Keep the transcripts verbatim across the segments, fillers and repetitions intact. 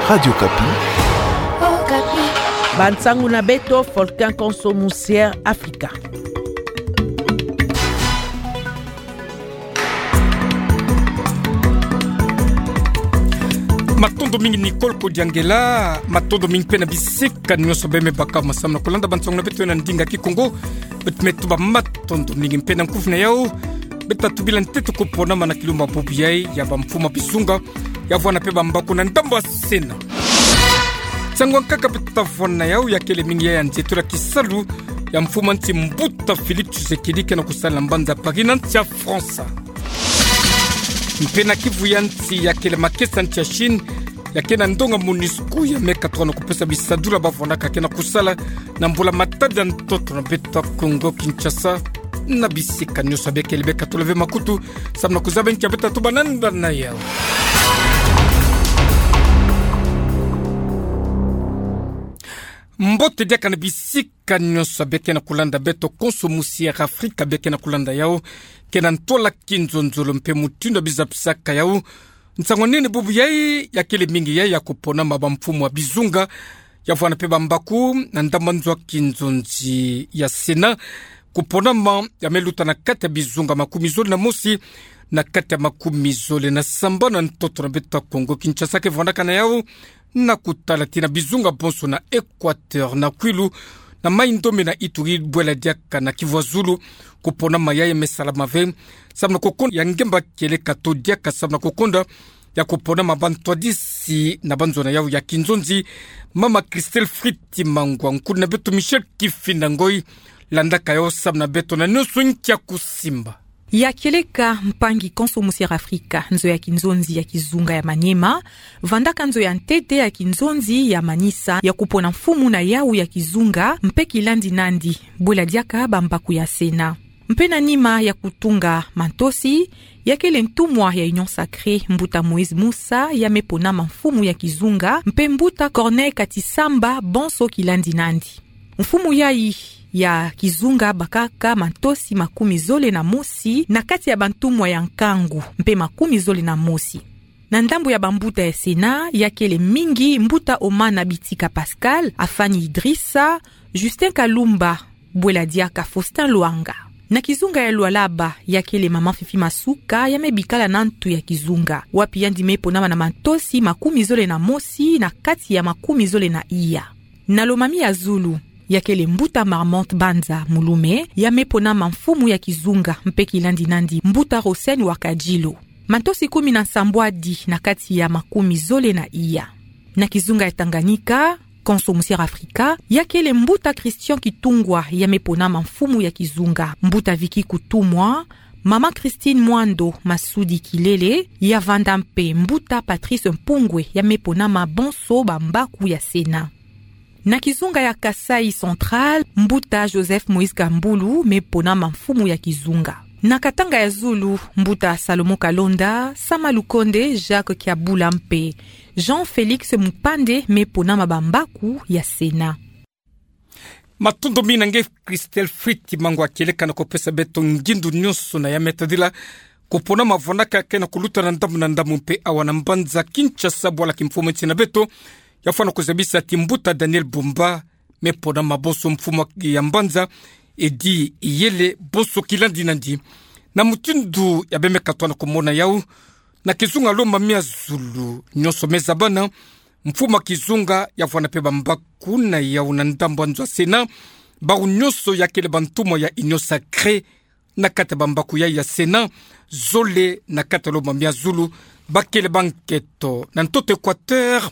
Radio Okapi. Bansangu na beto, Volcan Konso Musière Afrika. Matondo mingi Nicole Kodiangela, matondo mingi mpe na bisika nyonso bemebaka masamu na kolanda bansangu na beto na ndinga Kikongo. Beto me tuba matondo mingi mpe na nkufi na yau. Beto tubila ntete kupona mana kilumbu bubu yai ya bamfumu a bizunga, ya vwanda mpe bambaku na ndambu a Sénat. Nsangu ankaka beto tavwanda na yau ya kele mingi ya nzietolo ya kisalu ya mfumu a nsi Mbuta Félix Tshisekedi ke na kusala na mbanza Paris na nsi a Fransa. Mpe na kivu ya nsi ya kele makesa nsi a Chine, ya ke na ndonga MONUSCO ya me katuka na kupesa bisadula bavwandaka ke na kusala na mbula-matadi ya ntoto na beto a Kongo Kinshasa. Na bisika nyonso bie kele bie katula ve makutu, samu na kuzaba nki beto tatuba na nda na yau. Mbote diaka na bisika nyonso bie ke na kulanda beto, Konso Musière Afrika bie ke na kulanda yau, ke na ntwala kinzonzolo mpe mutindu bizapisaka yau. Nsangu nene bubu yai ya kele mingi yai ya kupona ma bamfumu a bizunga, ya vwanda mpe bambaku na ndambu a nzo a kinzonzi ya Sénat. Kupona ma ya me luta na kati ya bizunga makumi zole na mosi na kati ya makumi zole na sambanu na ntoto na beto a Kongo Kinshasa ke vwandaka na yau na kutala tii na bizunga bonso na Équateur, na Kwilu, na Mai-Ndombe, na Ituri, bwela diaka na Kivu ya Zulu. Kupona ma yai me salama ve samu na kukonda ya ngemba kieleka to diaka samu na kukonda ya kupona ma bantwadisi na banzo na yau ya kinzonzi, mama Christelle Fritz Mangwa, nkulu na beto Michel Kifinda Ngoy landaka yau samu na beto na nyonso nki ya kusimba. Ya kieleka mpangi Konso Musière Afrika, nzo ya kinzonzi ya kizunga ya Maniema vandaka nzo ya ntete ya kinzonzi ya manisa ya kupona mfumu na yau ya kizunga mpe kilandi nandi, bwela diaka bambaku ya Sénat. Mpe na nima ya kutunga mantosi, ya kele ntumwa ya Union Sacrée, Mbuta Moïse Musa, ya me pona ma mfumu ya kizunga, mpe Mbuta Corneille Katisamba, bonso kilandi nandi. Mfumu yai ya kizunga bakaka mantosi makumi zole na mosi na kati ya bantumwa ya nkangu mpe makumi zole na mosi. Na ndambu ya bambuta ya Sénat, ya kele mingi Mbuta Omana Bitika Pascal, Afani Idrissa, Justin Kalumba, bwela diaka Faustin Luanga. Na kizunga ya Lualaba, ya kele mama Fifi Masuka, ya me bikala na ntu ya kizunga, wapi yandi me ponama na mantosi makumi zole na mosi na kati ya makumi zole na iya. Na Lomami ya Zulu, ya kele Mbuta Marmont Banza Mulume, ya me ponama mfumu ya kizunga, mpe kilandi nandi Mbuta Rosen Wakajilo. Mantosi kumi na nsambwadi na kati ya makumi zole na iya. Na kizunga ya Tanganyika, Konso Musière Afrika, ya kele Mbuta Christian Kitungwa, ya me ponama mfumu ya kizunga, Mbuta Vicky Kutumwa, mama Christine Mwando Masudi Kilele, ya vanda mpe Mbuta Patrice Mpungwe, ya me ponama bonso bambaku ya Sénat. Na kizunga ya Kasaï Central, Mbuta Joseph Moïse Kambulu me ponama mfumu ya kizunga. Na Katanga ya Zulu, Mbuta Salomon Kalonda, Sama Lukonde, Jacques Kiabula mpe Jean Félix Mupande me ponama bambaku ya Sénat. Matondo mingi na nge Christelle Fritz Mangwa kieleka na kupesa beto ngindu nyonso na ya me tadila kupona ma vwandaka ke na kuluta na ndambu na ndambu mpe awa na mbanza Kinshasa, bwala kimfumu nsi na beto, ya fwana kuzabisa ti Mbuta Daniel Bumba me ponama bonso mfumu ya mbanza, Eddy Iyele bonso kilandi nandi. Na mutindu ya bie me katwa na kumona yau, na kizunga Lomami ya Zulu nyonso me zabana, mfumu ya kizunga ya vwanda mpe bambaku na yau na ndambu a nzo a Sénat, bawu nyonso ya kele bantumwa ya Union Sacrée, na kati ya bambaku yai ya Sénat, zole na kati ya Lomami ya Zulu, ba kele ba nketo. Na ntoto Équateur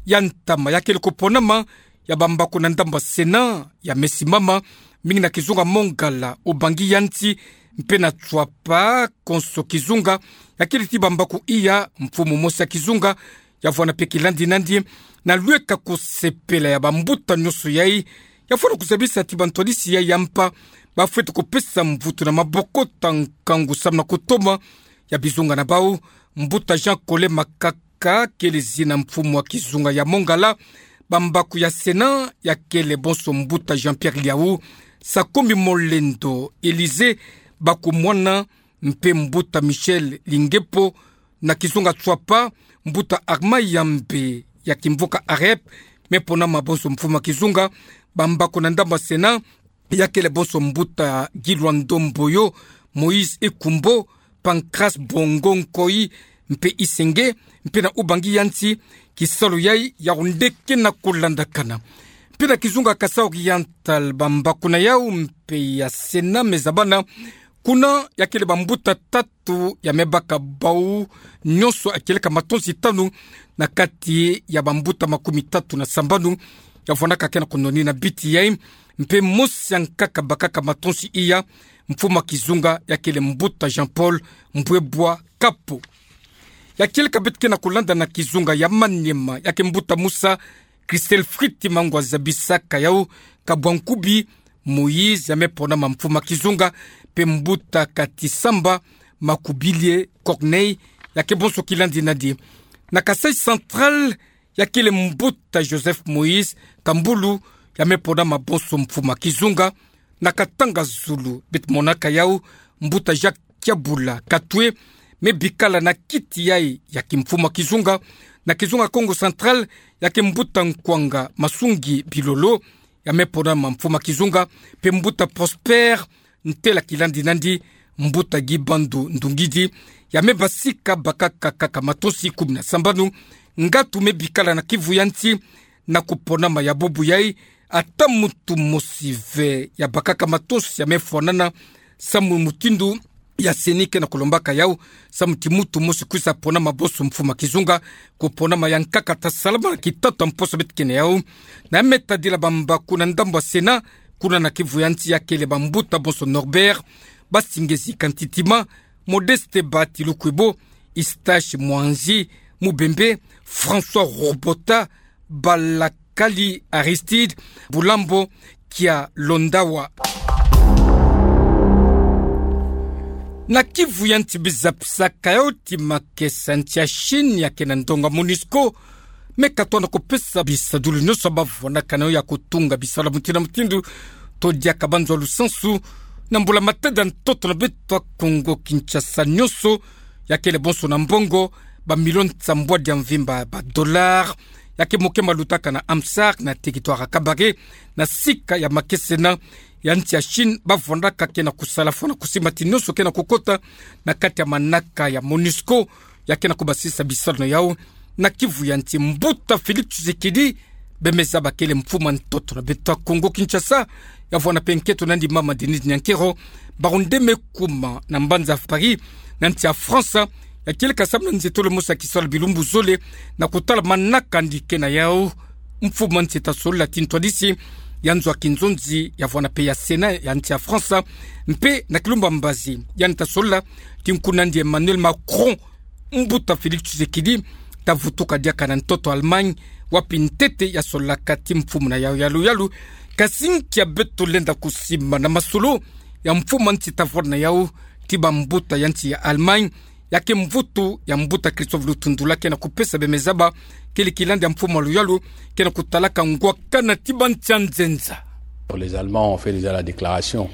ya ntama, ya kele kuponama ya bambaku na ndambu a Sénat ya me simama mingi na kizunga Mongala, Ubangi ya nsi, mpe na Tshuapa, konso kizunga, ya kele ti bambaku iya, mfumu mosi ya kizunga, ya vwanda mpe kilandi nandi, na lweka kusepela ya bambuta nyonso yai, ya fwana kuzabisa ti bantwadisi yai ya mpa, ba fweti kupesa mvutu na maboko ta nkangu samu na kutoma ya bizunga na bawu. Mbuta Jean Collin Makaka kele zina, mfumu ya kizunga ya Mongala, bambaku ya Sénat ya kele bonso Mbuta Jean-Pierre Liau, Sakombi Molendo Élisée, Baku Mwana, mpe Mbuta Michel Lingepo. Na kizunga Tshuapa, Mbuta Armand Yambe ya kimvuka AREP, me ponama bonso mfumu a kizunga. Bambaku na ndambu ya Sénat, ya kele bonso mbuta Gilwando Mboyo, Moïse Ekumbo, Pancras Bongo Nkoyi, mpe Isenge, mpe na Ubangi ya nti, kisalu yayi ya onde ke na kulandakana. Mpe na kizunga Kasaï Oriental, bambaku na yau mpe ya Sénat me zabana, kuna ya kele bambuta tatu ya me baka bau nyonso ya kieleka matonsi tanu na kati ya bambuta makumi tatu na sambanu ya vwanaka ke na kunoni na biti yayi, mpe mosi ya nkaka bakaka matonsi iya, mfumu a kizunga ya kele mbuta Jean-Paul Mbwebwa Kapo. Ya kieleka beto ke na kulanda na kizunga ya Maniema, ya ke mbuta Musa Christel Friti Mangwa zabisaka yau kabwa nkubi Moïse ya me ponama mfumu a kizunga, mpe mbuta Katisamba Makubilie Corneille, ya ke bonso kilandi nadi. Na Kasaï Central, ya kele mbuta Joseph Moïse Kambulu, ya me ponama bonso mfumu a kizunga. Na Katanga Zulu, beto monaka yau mbuta Jacques Kiabula Katwe, me bikala na kiti yayi ya kimfumu a kizunga. Na kizunga Kongo Central, ya ke mbuta Nkwanga Masungi Bilolo, ya me ponama mfumu a kizunga, mpe mbuta Prosper Ntela kilandi nandi, mbuta Guy Bandu Ndungidi, ya me basika bakaka kaka matonsi kumi na sambanu. Ngatu me bikala na Kivu ya nti, na kuponama ya bubu yayi, ata muntu mosi ve ya bakaka matonsi ya me fwanana, samu mutindu ya CENI ke na kulombaka yau, samu ti muntu mosi kwisa ponama bonso mfumu a kizunga, kuponama ya nkaka ta salama na kitatu a mposo beto ke na yau. Na me tadila bambaku na ndambu ya Sénat, kuna na Kivu ya nti ya kele bambuta bonso Norbert Basingezi Kantitima, Modeste Bati Lukwebo, Eustache Mwanzi Mubembe, François Robota, Balakali Aristide, Bulambo Kialondawa. Na Kivu ya nti bizapisaka yau ti makesa nti ya Chine ya ke na ndonga MONUSCO, me katoa na kupesa bisadulu nyonso bavwanaka na yau ya kutunga bisalu mutindu na mutindu, to diaka banzwa lusansu, na mbula matadi ya ntoto na beto ya Kongo Kinshasa nyonso, ya kele bonso na mbongo bamilio nsambwadi ya mvimba ba dollars, ya ke moke malutaka na AMSARC na territoire ya Kabare, na sika ya makesa ena ya nti ya Chine bavwandaka ke na kusala fo na kusimba ti nyonso ke na kukota na kati ya manaka ya MONUSCO, ya ke na kubasisa bisalu na yau na Kivu ya nti. Mbuta Félix Tshisekedi, bemeza ba kele mfumu a ntoto na beto ya Kongo Kinshasa, ya vwana mpe nkento nandi mama Denise Nyankero, baronde me kuma na mbanza Paris, na nsi ya France, ya kieleka samu na nzietolo mosi ya kisalu bilumbu zole, na kutala manaka andi ke na yau. Mfumu a nsi ta solola ti ntwadisi ya nzo ya kinzonzi ya vwana mpe ya Sénat ya nsi ya France, mpe na kilumbu ya mbazi yandi ta solola ti nkuna andi Emmanuel Macron, mbuta Félix Tshisekedi ta vutuka diaka na ntoto Allemagne, wapi ntete ya sololaka ti mfumu na yau yalu yalu. Kasi nkia beto lenda kusimba na masolo ya mfumu a nsi ta vwanda na yau ti bambuta ya nsi ya Allemagne, ya ke mvutu ya mbuta Christophe Lutundula ke na kupesa, bemeza ba kele kilandi ya mfumu a luyalu ke na kutalaka ngwakana ti bansi ya nzenza. Les Allemands ont fait déjà la déclaration.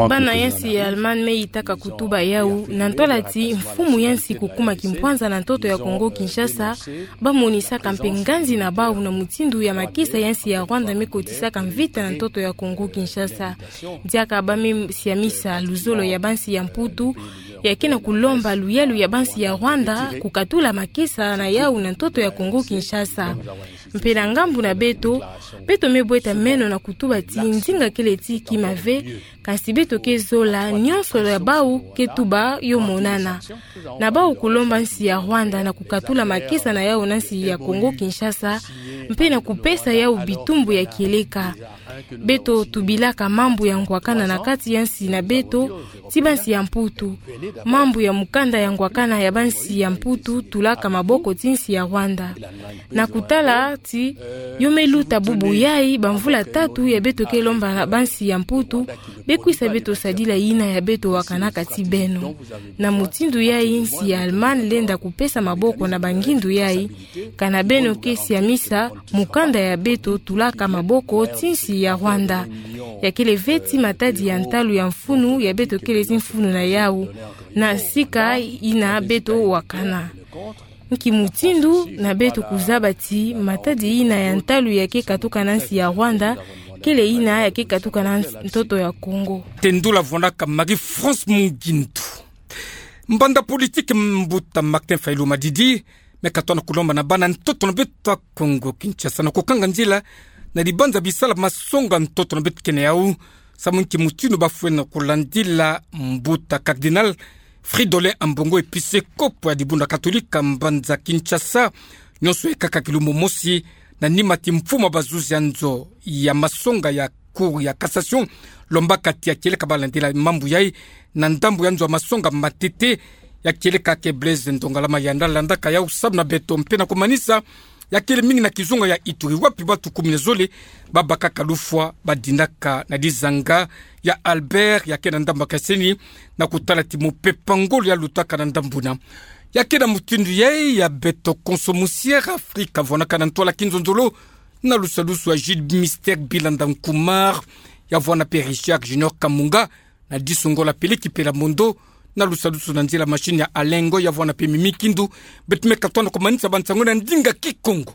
Bana ya nsi ya Allemagne me yitaka kutuba yau na ntola ti mfumu ya nsi kukuma kimpwanza na ntoto ya Kongo Kinshasa, bamonisaka mpe nganzi na bau na mutindu ya makesa ya nsi ya Rwanda me kotisaka mvita na ntoto ya Kongo Kinshasa. Diaka ba me siamisa luzolo ya bansi ya Mputu, ya ke na kulomba luyalu ya bansi ya Rwanda kukatula makesa na yau na ntoto ya Kongo Kinshasa. Mpe na ngambu na beto, beto me bweta meno na kutuba ti nzinga kele ti kima ve, kasi beto ke zola nyonso ya bau ke tuba yo monana. Na bau kulomba nsi ya Rwanda na kukatula makesa na yau na nsi ya Kongo Kinshasa, mpe na kupesa yau bitumbu ya kieleka. Beto tubilaka mambu ya ngwakana na kati ya nsi na beto ti bansi ya Mputu. Mambu ya mukanda ya ngwakana ya bansi ya Mputu tulaka maboko ti nsi ya Rwanda. Na kutala ti yo me luta bubu yayi bamvula tatu ya beto ke lomba na bansi ya Mputu bekwisa beto sadila yina ya beto wakanaka ti beno. Na mutindu yayi nsi ya Allemagne lenda kupesa maboko na bangindu yayi, kana beno ke siamisa mukanda ya beto tulaka maboko ti nsi ya Rwanda. Ya kele ve ti matadi ya ntalu ya mfunu ya beto kele ti mfunu na yau na sika yina beto wakana. Nki mutindu na beto kuzaba ti matadi yina ya ntalu ya ke katuka na nsi ya Rwanda kele yina ya ke katuka na nsi, ntoto ya Kongo. Tendula vonaka Marie-France Mugindu. Mbanda politiki mbuta Martin Fayulu Madidi, me katona kulomba na bana ntoto na beto ya Kongo Kinshasa na kukanga nzila na dibanza bisala masonga ntoto na beto kene yau, samu nki mutindu bafwene kulandila mbuta Cardinal Fridolin Ambongo, episkopo ya dibundu katolika mbanza Kinshasa, nyonso ekaka kilumbu mosi, na nima ti mfumu ya bazuzi ya nzo ya masonga ya Cour ya Cassation, lombaka ti ya kieleka balandila mambu yai na ndambu ya nzo ya masonga matete, ya kieleka ke Blaise Ndongala Mayanda, landaka yau samu na beto mpe na kumanisa, ya kele mingi na kizunga ya Ituri, wapi batu kumi na zole babakaka lufwa, badinaka na dizanga ya Albert, ya ke na ndambu ya Kaseni, na kutala ti mupepa ngolo ya lutaka na ndambu na. Ya ke na mutindu yai ya beto konso musiere Afrika, vonaka na ntwala kinzonzolo, na lusadusu ya Jules Mister Bilanda Nkumar, ya vwana mpe Richard Junior Kamunga, na disu ngolo ya Peleki Pela Mondo, na lusadusu na nzila machine ya Alengo, ya vwana mpe Mimi Kindu, beto me katona kumanisa bansango na ndinga Kikongo.